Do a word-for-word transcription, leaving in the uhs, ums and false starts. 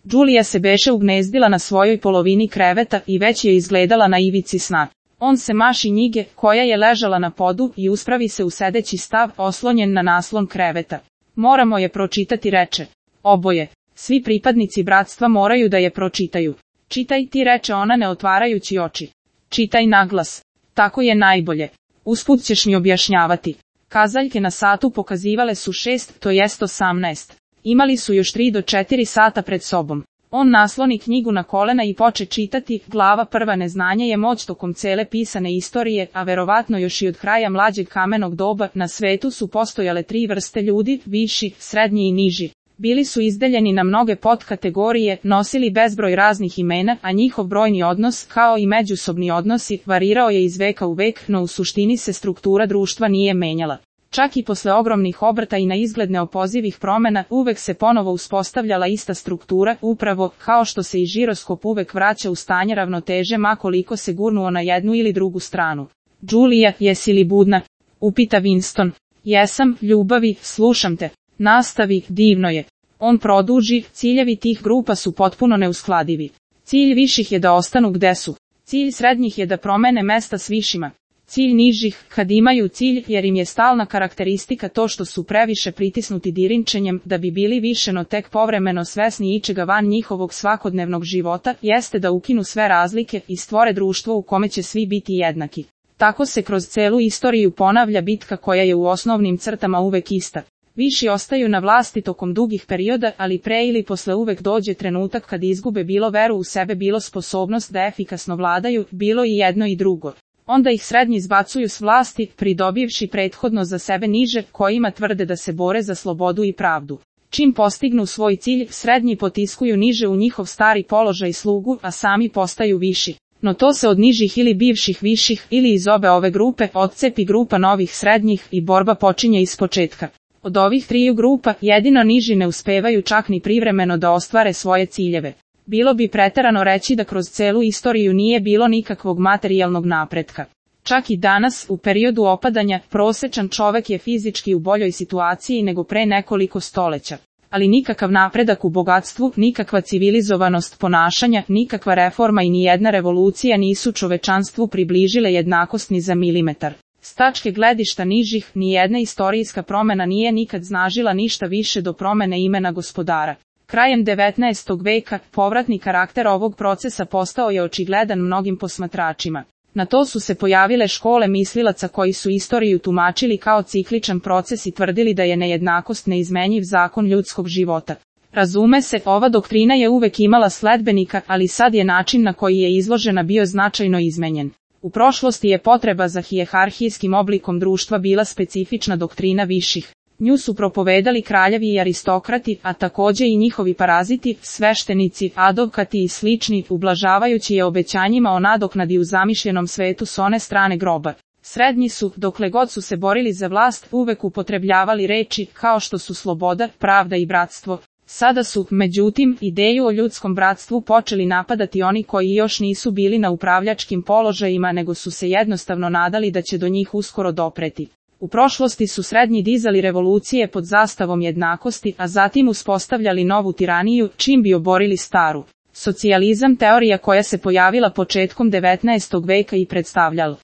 Đulija se beše ugnezdila na svojoj polovini kreveta i već je izgledala na ivici sna. On se maši njige, koja je ležala na podu, i uspravi se u sedeći stav, oslonjen na naslon kreveta. Moramo je pročitati, reče. Oboje. Svi pripadnici bratstva moraju da je pročitaju. Čitaj ti, reče ona ne otvarajući oči. Čitaj naglas. Tako je najbolje. Usput ćeš mi objašnjavati. Kazaljke na satu pokazivale su šest, to jest osamnaest. Imali su još tri do četiri sata pred sobom. On nasloni knjigu na kolena i poče čitati. Glava prva. Neznanje je moć tokom cele pisane istorije, a verovatno još i od kraja mlađeg kamenog doba. Na svetu su postojale tri vrste ljudi, viši, srednji i niži. Bili su izdeljeni na mnoge podkategorije, nosili bezbroj raznih imena, a njihov brojni odnos, kao i međusobni odnosi, varirao je iz veka u vek, no u suštini se struktura društva nije menjala. Čak i posle ogromnih obrta i na izgled neopozivih promena, uvek se ponovo uspostavljala ista struktura, upravo kao što se i žiroskop uvek vraća u stanje ravnoteže ma koliko se gurnuo na jednu ili drugu stranu. Đulija, jesi li budna? Upita Winston. Jesam, ljubavi, slušam te. Nastavi, divno je. On produži, ciljevi tih grupa su potpuno neuskladivi. Cilj viših je da ostanu gde su. Cilj srednjih je da promene mesta s višima. Cilj nižih, kad imaju cilj, jer im je stalna karakteristika to što su previše pritisnuti dirinčenjem, da bi bili više no tek povremeno svesni ičega van njihovog svakodnevnog života, jeste da ukinu sve razlike i stvore društvo u kome će svi biti jednaki. Tako se kroz celu istoriju ponavlja bitka koja je u osnovnim crtama uvek ista. Viši ostaju na vlasti tokom dugih perioda, ali pre ili posle uvek dođe trenutak kad izgube bilo veru u sebe, bilo sposobnost da efikasno vladaju, bilo i jedno i drugo. Onda ih srednji zbacuju s vlasti, pridobivši prethodno za sebe niže, kojima tvrde da se bore za slobodu i pravdu. Čim postignu svoj cilj, srednji potiskuju niže u njihov stari položaj slugu, a sami postaju viši. No to se od nižih ili bivših viših, ili iz obe ove grupe, odcepi grupa novih srednjih i borba počinje ispočetka. Od ovih triju grupa, jedino niži ne uspevaju čak ni privremeno da ostvare svoje ciljeve. Bilo bi preterano reći da kroz celu istoriju nije bilo nikakvog materijalnog napretka. Čak i danas, u periodu opadanja, prosečan čovek je fizički u boljoj situaciji nego pre nekoliko stoleća. Ali nikakav napredak u bogatstvu, nikakva civilizovanost ponašanja, nikakva reforma i nijedna revolucija nisu čovečanstvu približile jednakost ni za milimetar. S tačke gledišta nižih, nijedna istorijska promena nije nikad znažila ništa više do promene imena gospodara. Krajem devetnaestog veka, povratni karakter ovog procesa postao je očigledan mnogim posmatračima. Na to su se pojavile škole mislilaca koji su istoriju tumačili kao cikličan proces i tvrdili da je nejednakost neizmenjiv zakon ljudskog života. Razume se, ova doktrina je uvek imala sledbenika, ali sad je način na koji je izložena bio značajno izmenjen. U prošlosti je potreba za hijerarhijskim oblikom društva bila specifična doktrina viših. Nju su propovedali kraljevi i aristokrati, a takođe i njihovi paraziti, sveštenici, advokati i slični, ublažavajući je obećanjima o nadoknadi u zamišljenom svetu s one strane groba. Srednji su, dokle god su se borili za vlast, uvek upotrebljavali reči kao što su sloboda, pravda i bratstvo. Sada su, međutim, ideju o ljudskom bratstvu počeli napadati oni koji još nisu bili na upravljačkim položajima, nego su se jednostavno nadali da će do njih uskoro dopreti. U prošlosti su srednji dizali revolucije pod zastavom jednakosti, a zatim uspostavljali novu tiraniju, čim bi oborili staru. Socijalizam, teorija koja se pojavila početkom devetnaestog veka i predstavljala